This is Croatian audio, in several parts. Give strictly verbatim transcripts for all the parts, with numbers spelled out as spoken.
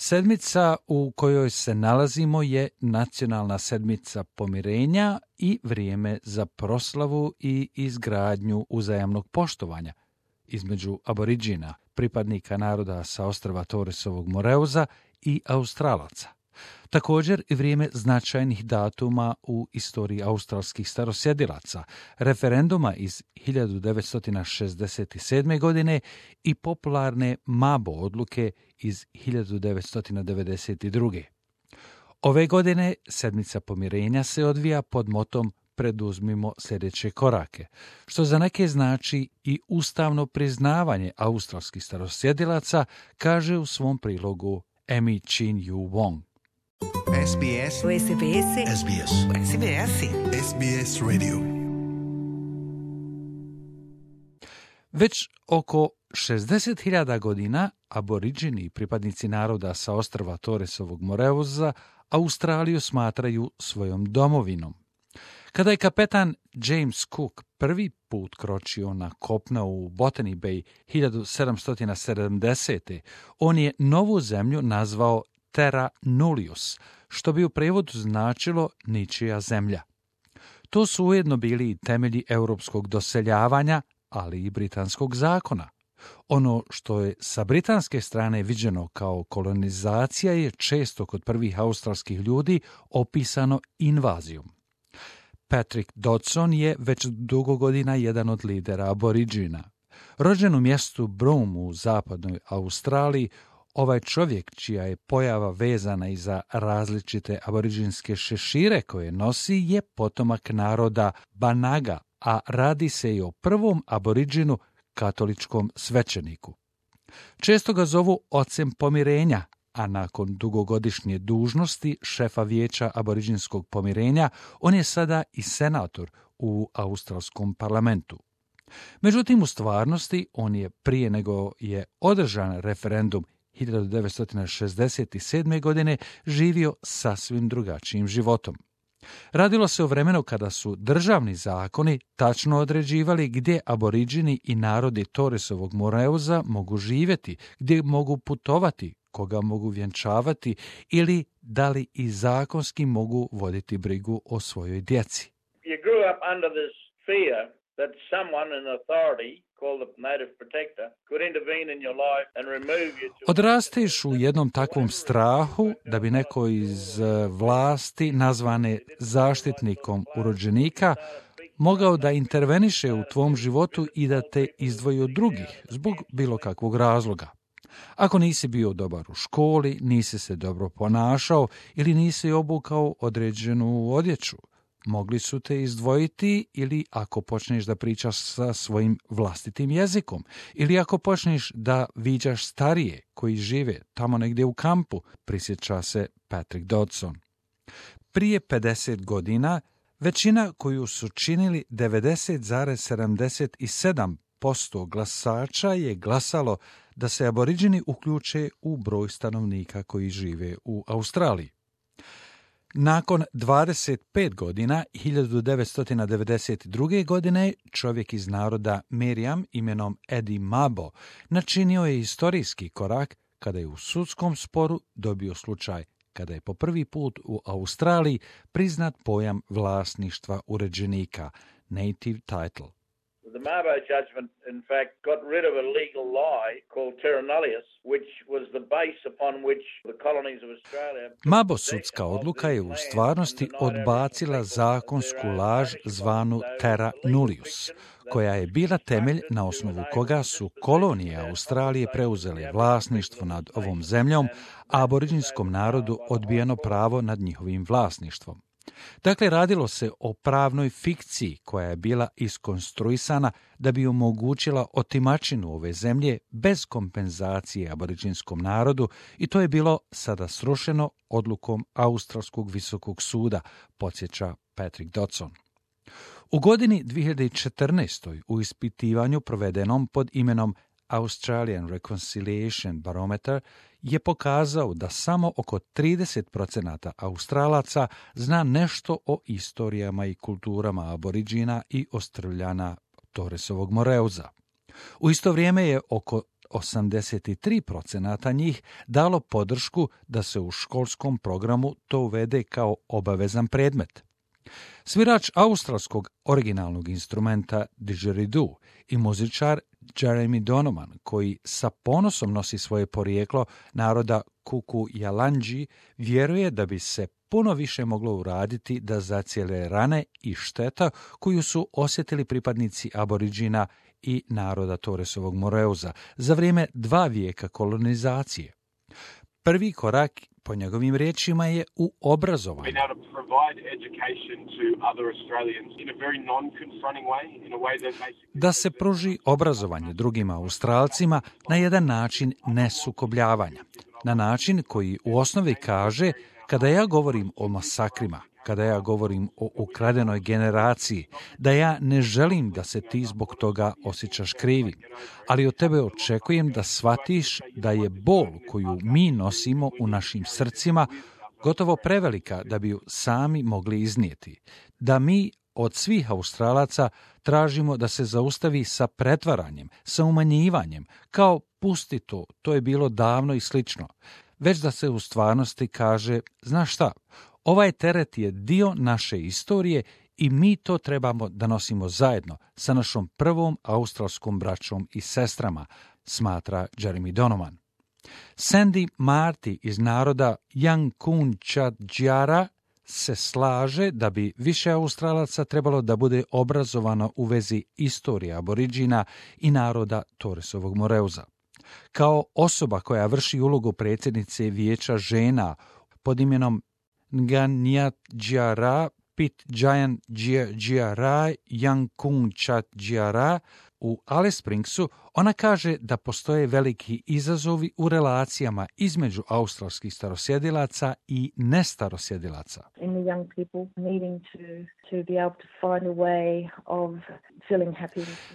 Sedmica u kojoj se nalazimo je nacionalna sedmica pomirenja i vrijeme za proslavu i izgradnju uzajamnog poštovanja između aboriđina, pripadnika naroda sa ostrva Torresovog Moreuza i Australaca. Također i vrijeme značajnih datuma u istoriji australskih starosjedilaca, referenduma iz hiljadu devetsto šezdeset sedme. godine i popularne Mabo odluke iz hiljadu devetsto devedeset druge. Ove godine sedmica pomirenja se odvija pod motom preduzmimo sljedeće korake, što za neke znači i ustavno priznavanje australskih starosjedilaca, kaže u svom prilogu Amy Chin Yu Wong. S B S. S B S. S B S. S B S. S B S Radio. Već oko šezdeset hiljada godina aboriđini i pripadnici naroda sa ostrva Torresovog Moreuza Australiju smatraju svojom domovinom. Kada je kapetan James Cook prvi put kročio na kopno u Botany Bay hiljadu sedamsto sedamdesete. on je novu zemlju nazvao Terra Nullius, što bi u prevodu značilo ničija zemlja. To su ujedno bili i temelji europskog doseljavanja, ali i britanskog zakona. Ono što je sa britanske strane viđeno kao kolonizacija je često kod prvih australskih ljudi opisano invazijom. Patrick Dodson je već dugo godina jedan od lidera aboriđina. Rođen u mjestu Broome u zapadnoj Australiji, ovaj čovjek, čija je pojava vezana i za različite aboriđinske šešire koje nosi, je potomak naroda Banaga, a radi se i o prvom aboriđinu katoličkom svećeniku. Često ga zovu ocem pomirenja, a nakon dugogodišnje dužnosti šefa vijeća aboriđinskog pomirenja, on je sada i senator u australskom parlamentu. Međutim, u stvarnosti, on je prije nego je održan referendum hiljadu devetsto šezdeset sedme. godine živio sasvim drugačijim životom. Radilo se o vremenu kada su državni zakoni tačno određivali gdje aboriđini i narodi Torresovog Moreuza mogu živjeti, gdje mogu putovati, koga mogu vjenčavati ili da li i zakonski mogu voditi brigu o svojoj djeci. You grew up under this fear that someone in authority called the native protector could intervene in your life and remove you to... Odrasteš u jednom takvom strahu da bi neko iz vlasti, nazvane zaštitnikom urođenika, mogao da interveniše u tvom životu i da te izdvoji od drugih zbog bilo kakvog razloga. Ako nisi bio dobar u školi, nisi se dobro ponašao ili nisi obukao određenu odjeću, mogli su te izdvojiti, ili ako počneš da pričaš sa svojim vlastitim jezikom, ili ako počneš da viđaš starije koji žive tamo negdje u kampu, prisjeća se Patrick Dodson. Prije pedeset godina većina koju su činili devedeset zarez sedamdeset sedam posto glasača je glasalo da se aboriđini uključe u broj stanovnika koji žive u Australiji. Nakon dvadeset pet godina, hiljadu devetsto devedeset druge. godine, čovjek iz naroda Meriam imenom Eddie Mabo načinio je historijski korak kada je u sudskom sporu dobio slučaj kada je po prvi put u Australiji priznat pojam vlasništva uređenika, native title. The Mabo judgment, in fact, got rid of a legal lie called terra nullius, which was the base upon which the colonies of Australia... Mabo sudska odluka je u stvarnosti odbacila zakonsku laž zvanu terra nullius, koja je bila temelj na osnovu koga su kolonije Australije preuzele vlasništvo nad ovom zemljom, a aboriđinskom narodu odbijeno pravo nad njihovim vlasništvom. Dakle, radilo se o pravnoj fikciji koja je bila iskonstruisana da bi omogućila otimačinu ove zemlje bez kompenzacije aboriđinskom narodu, i to je bilo sada srušeno odlukom Australskog visokog suda, podsjeća Patrick Dodson. U godini dvije hiljade četrnaeste. u ispitivanju provedenom pod imenom Australian Reconciliation Barometer je pokazao da samo oko trideset posto Australaca zna nešto o istorijama i kulturama aboriđina i ostrvljana Torresovog Moreuza. U isto vrijeme je oko osamdeset tri procenata njih dalo podršku da se u školskom programu to uvede kao obavezan predmet. Svirač australskog originalnog instrumenta didgeridoo i muzičar Jeremy Donovan, koji sa ponosom nosi svoje porijeklo naroda Kuku-Yalanji, vjeruje da bi se puno više moglo uraditi da zacijele rane i šteta koju su osjetili pripadnici aboriđina i naroda Torresovog Moreuza za vrijeme dva vijeka kolonizacije. Prvi korak, po njegovim riječima, je u obrazovanju. Da se pruži obrazovanje drugim Australcima na jedan način nesukobljavanja. Na način koji u osnovi kaže, kada ja govorim o masakrima, kada ja govorim o ukradenoj generaciji, da ja ne želim da se ti zbog toga osjećaš krivim, ali od tebe očekujem da shvatiš da je bol koju mi nosimo u našim srcima gotovo prevelika da bi ju sami mogli iznijeti. Da mi od svih Australaca tražimo da se zaustavi sa pretvaranjem, sa umanjivanjem, kao pusti to, to je bilo davno i slično, već da se u stvarnosti kaže, znaš šta, ovaj teret je dio naše istorije i mi to trebamo da nosimo zajedno sa našom prvom australskom braćom i sestrama, smatra Jeremy Donovan. Sandy Marty iz naroda Yankunytjatjara se slaže da bi više Australaca trebalo da bude obrazovano u vezi istorije aboriđina i naroda Torresovog Moreuza. Kao osoba koja vrši ulogu predsjednice vijeća žena pod imenom Nganyatjara Pitjantjatjara Yankunytjatjara u Alice Springsu, ona kaže da postoje veliki izazovi u relacijama između australskih starosjedilaca i nestarosjedilaca.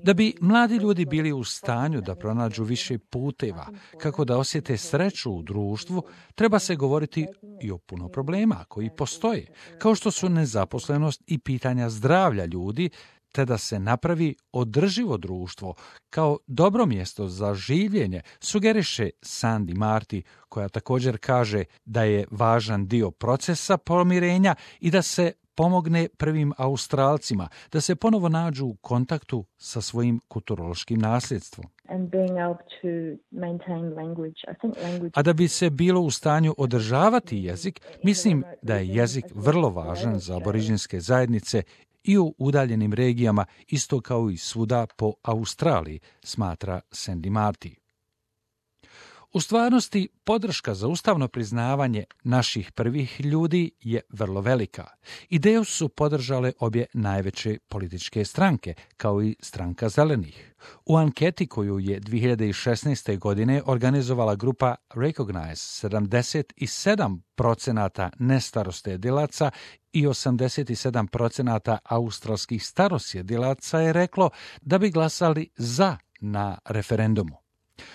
Da bi mladi ljudi bili u stanju da pronađu više puteva, kako da osjete sreću u društvu, treba se govoriti i o puno problema koji postoje, kao što su nezaposlenost i pitanja zdravlja ljudi, te da se napravi održivo društvo kao dobro mjesto za življenje, sugeriše Sandy Marty, koja također kaže da je važan dio procesa pomirenja i da se pomogne prvim Australcima da se ponovo nađu u kontaktu sa svojim kulturološkim nasljedstvom. A da bi se bilo u stanju održavati jezik, mislim da je jezik vrlo važan za aboriđinske zajednice i u udaljenim regijama, isto kao i svuda po Australiji, smatra Sandy Marty. U stvarnosti, podrška za ustavno priznavanje naših prvih ljudi je vrlo velika. Ideju su podržale obje najveće političke stranke, kao i stranka zelenih. U anketi koju je dvije hiljade šesnaeste. godine organizovala grupa Recognize, sedamdeset sedam procenata nestarosjedilaca i osamdeset sedam procenata australskih starosjedilaca je reklo da bi glasali za na referendumu.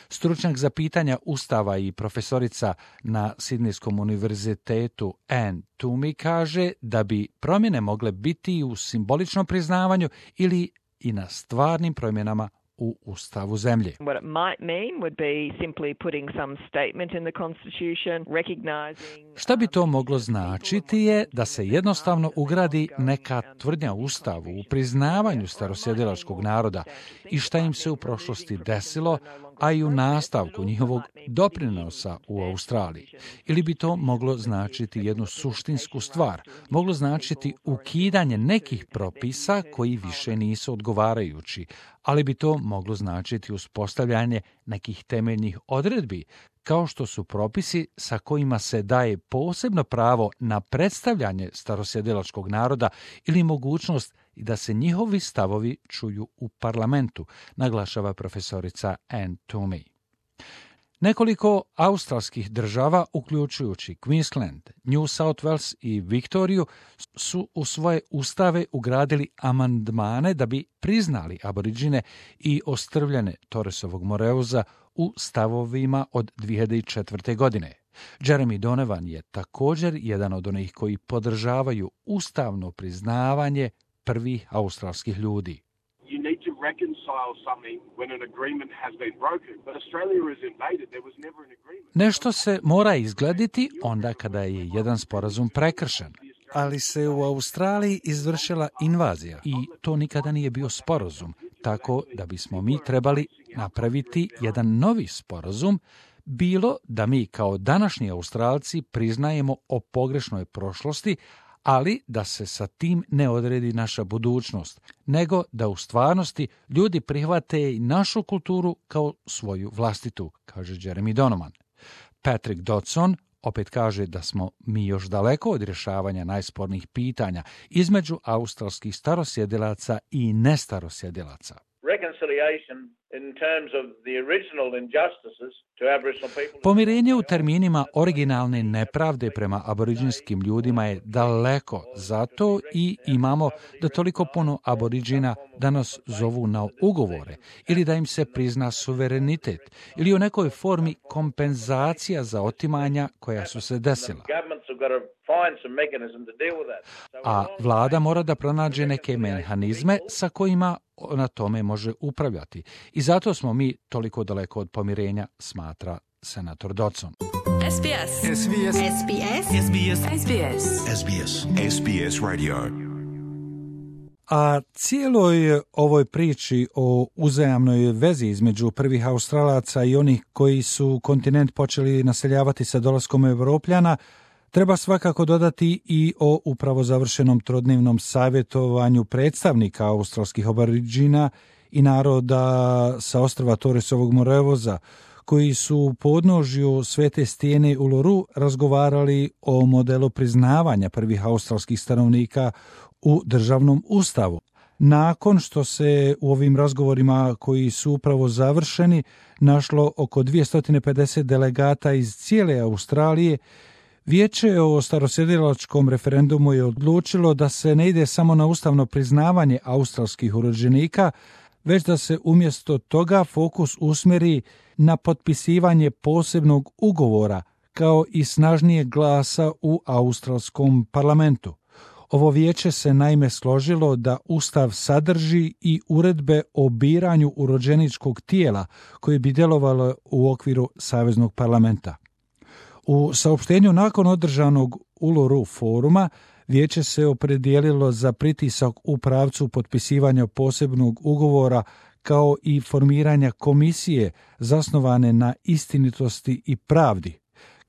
Stručnjak za pitanja Ustava i profesorica na Sidnejskom univerzitetu Anne Toomey kaže da bi promjene mogle biti u simboličnom priznavanju ili i na stvarnim promjenama u Ustavu zemlje. What it might mean would be simply putting some statement in the Constitution recognizing. Šta bi to moglo značiti je da se jednostavno ugradi neka tvrdnja u Ustavu u priznavanju starosjedilačkog naroda i šta im se u prošlosti desilo, a i u nastavku njihovog doprinosa u Australiji. Ili bi to moglo značiti jednu suštinsku stvar, moglo značiti ukidanje nekih propisa koji više nisu odgovarajući, ali bi to moglo značiti uspostavljanje nekih temeljnih odredbi, kao što su propisi sa kojima se daje posebno pravo na predstavljanje starosjedilačkog naroda ili mogućnost da se njihovi stavovi čuju u parlamentu, naglašava profesorica Anne Toomey. Nekoliko australskih država, uključujući Queensland, New South Wales i Viktoriju, su u svoje ustave ugradili amandmane da bi priznali aboriđine i ostrvljene Torresovog Moreuza u stavovima od dvije hiljade četvrte. godine. Jeremy Donovan je također jedan od onih koji podržavaju ustavno priznavanje prvih australskih ljudi. You need to reconcile something when an agreement has been broken. But Australia is invaded. There was never an agreement. Nešto se mora izglediti onda kada je jedan sporazum prekršen. Ali se u Australiji izvršila invazija i to nikada nije bio sporazum, tako da bismo mi trebali napraviti jedan novi sporazum, bilo da mi kao današnji Australci priznajemo o pogrešnoj prošlosti, ali da se sa tim ne odredi naša budućnost, nego da u stvarnosti ljudi prihvate i našu kulturu kao svoju vlastitu, kaže Jeremy Donovan. Patrick Dodson opet kaže da smo mi još daleko od rješavanja najspornijih pitanja između australskih starosjedilaca i nestarosjedilaca. Pomirenje u terminima originalne nepravde prema aboriđinskim ljudima je daleko, zato i imamo da toliko puno aboriđina da nas zovu na ugovore ili da im se prizna suverenitet ili u nekoj formi kompenzacija za otimanja koja su se desila. A vlada mora da pronađe neke mehanizme sa kojima na tome može upravljati. I zato smo mi toliko daleko od pomirenja, smatra senator Dodson. S B S. S B S. S B S. S B S. S B S. S B S. S B S Radio. A cijeloj ovoj priči o uzajamnoj vezi između prvih Australaca i onih koji su kontinent počeli naseljavati sa dolaskom Evropljana treba svakako dodati i o upravo završenom trodnevnom savjetovanju predstavnika australskih aboriđina i naroda sa ostrva Torresovog morevoza, koji su u podnožju Svete stijene Uluru razgovarali o modelu priznavanja prvih australskih stanovnika u državnom ustavu. Nakon što se u ovim razgovorima koji su upravo završeni našlo oko dvjesto pedeset delegata iz cijele Australije, Vijeće o starosjedilačkom referendumu je odlučilo da se ne ide samo na ustavno priznavanje australskih urođenika, već da se umjesto toga fokus usmjeri na potpisivanje posebnog ugovora kao i snažnijeg glasa u australskom parlamentu. Ovo vijeće se naime složilo da Ustav sadrži i uredbe o biranju urođeničkog tijela koje bi djelovalo u okviru Saveznog parlamenta. U saopštenju nakon održanog Uluru foruma vijeće se opredijelilo za pritisak u pravcu potpisivanja posebnog ugovora kao i formiranja komisije zasnovane na istinitosti i pravdi.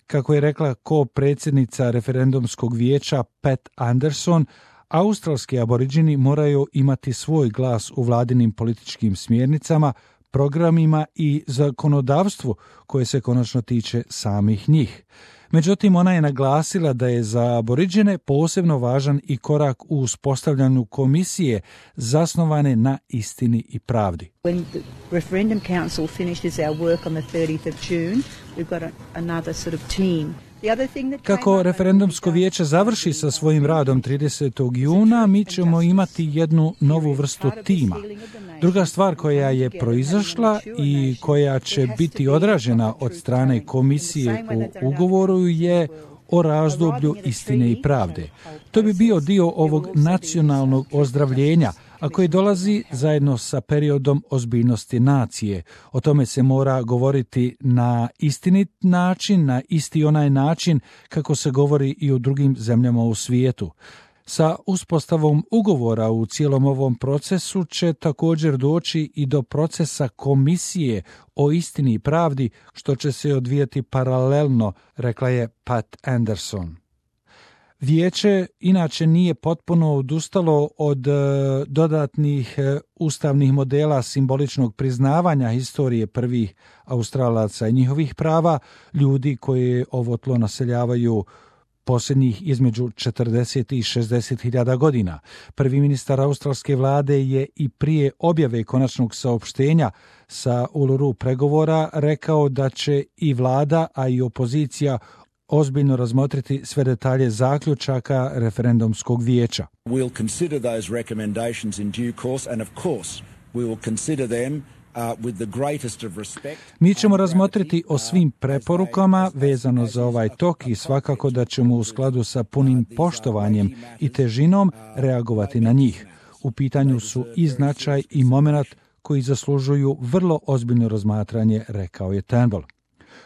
Kako je rekla ko-predsjednica referendumskog vijeća Pat Anderson, australski aboriđini moraju imati svoj glas u vladinim političkim smjernicama, programima i zakonodavstvu koje se konačno tiče samih njih. Međutim, ona je naglasila da je za aboriđene posebno važan i korak u uspostavljanju komisije zasnovane na istini i pravdi. When the referendum council finishes our work on the thirtieth of June, we've got a, another sort of team. Kako referendumsko vijeće završi sa svojim radom tridesetog juna, mi ćemo imati jednu novu vrstu tima. Druga stvar koja je proizašla i koja će biti odražena od strane komisije u ugovoru je o razdoblju istine i pravde. To bi bio dio ovog nacionalnog ozdravljenja, a koji dolazi zajedno sa periodom ozbiljnosti nacije. O tome se mora govoriti na istinit način, na isti onaj način kako se govori i u drugim zemljama u svijetu. Sa uspostavom ugovora u cijelom ovom procesu će također doći i do procesa komisije o istini i pravdi, što će se odvijati paralelno, rekla je Pat Anderson. Vijeće inače nije potpuno odustalo od e, dodatnih e, ustavnih modela simboličnog priznavanja historije prvih Australaca i njihovih prava, ljudi koji ovo tlo naseljavaju posljednjih između četrdeset i šezdeset hiljada godina. Prvi ministar australske vlade je i prije objave konačnog saopštenja sa Uluru pregovora rekao da će i vlada, a i opozicija ozbiljno razmotriti sve detalje zaključaka referendumskog vijeća. We'll consider those recommendations in due course and of course we will consider them Uh, with the greatest of respect. Mi ćemo razmotriti o svim preporukama vezano za ovaj tok i svakako da ćemo u skladu sa punim poštovanjem i težinom reagovati na njih. U pitanju su i značaj i momenat koji zaslužuju vrlo ozbiljno razmatranje, rekao je Turnbull.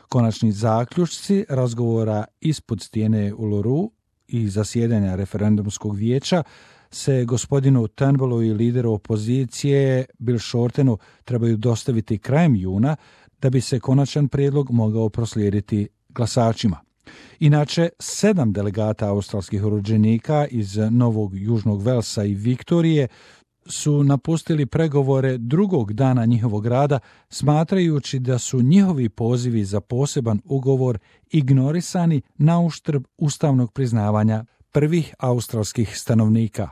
Konačni zaključci razgovora ispod stijene Uluru i zasjedanja referendumskog vijeća se gospodinu Turnbullu i lideru opozicije Bill Shortenu trebaju dostaviti krajem juna da bi se konačan prijedlog mogao proslijediti glasačima. Inače, sedam delegata australskih rođenika iz Novog Južnog Velsa i Viktorije su napustili pregovore drugog dana njihovog rada, smatrajući da su njihovi pozivi za poseban ugovor ignorisani na uštrb ustavnog priznavanja prvih australskih stanovnika.